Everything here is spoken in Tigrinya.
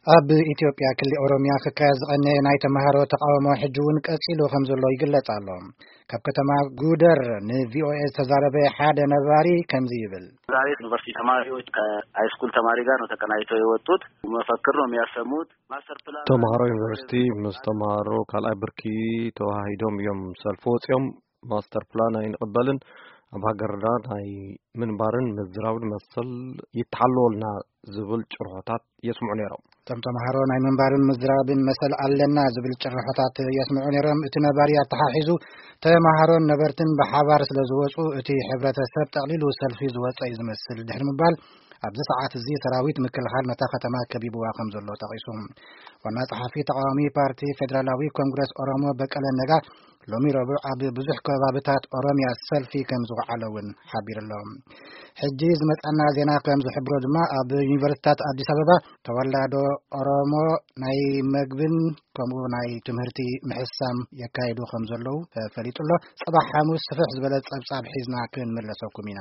ኣብ ኢትዮጵያ ክሊ ኦሮሚያ ክካየድ ዝቐነየ ናይ ተምሃሮ ተቓውሞ ሕጂ እውን ቀጺሉ ከም ዘሎ ይግለጽ ኣሎ። ካብ ከተማ ጉደር ንቪኦኤ ዝተዛረበ ሓደ ነባሪ ከምዚ ይብል። ዛሬ ዩኒቨርሲቲ ተማሪዎች ከሃይስኩል ተማሪ ጋር ነው ተቀናጅተው የወጡት። መፈክር ነው የሚያሰሙት። ማስተር ፕላን ተምሃሮ ዩኒቨርሲቲ ምስ ተምሃሮ ካልኣይ ብርኪ ተዋሂዶም እዮም ሰልፊ ወፂኦም። ማስተር ፕላን ኣይንቕበልን፣ ኣብ ሃገርና ናይ ምንባርን ምዝራብን መሰል ይተሓለወልና ዝብል ጭርሖታት የስምዑ ነይሮም። እቶም ተምሃሮ ናይ ምንባርን ምዝራብን መሰል ኣለና ዝብል ጭርሖታት የስምዑ ነይሮም። እቲ ነባሪ ኣተሓሒዙ፣ ተምሃሮን ነበርትን ብሓባር ስለ ዝወፁ፣ እቲ ሕብረተሰብ ጠቕሊሉ ሰልፊ ዝወፀ እዩ ዝመስል ድሕሪ ምባል፣ ኣብዚ ሰዓት እዚ ሰራዊት ምክልኻል ነታ ከተማ ከቢብዋ ከም ዘሎ ጠቒሱ። ዋና ጸሓፊ ተቓዋሚ ፓርቲ ፌደራላዊ ኮንግረስ ኦሮሞ በቀለ ነጋ ሎሚ ረቡዕ ኣብ ብዙሕ ከባብታት ኦሮሚያ ሰልፊ ከም ዝወዓለ እውን ሓቢሩ ኣሎ። ሕጂ ዝመጻና ዜና ከም ዝሕብሮ ድማ፣ ኣብ ዩኒቨርሲታት ኣዲስ ኣበባ ተወላዶ ኦሮሞ ናይ መግብን ከምኡ ናይ ትምህርቲ ምሕሳም የካይዱ ከም ዘለዉ ተፈሊጡ ኣሎ። ጽባሕ ሓሙስ ስፍሕ ዝበለ ጸብጻብ ሒዝና ክንምለሰኩም ኢና።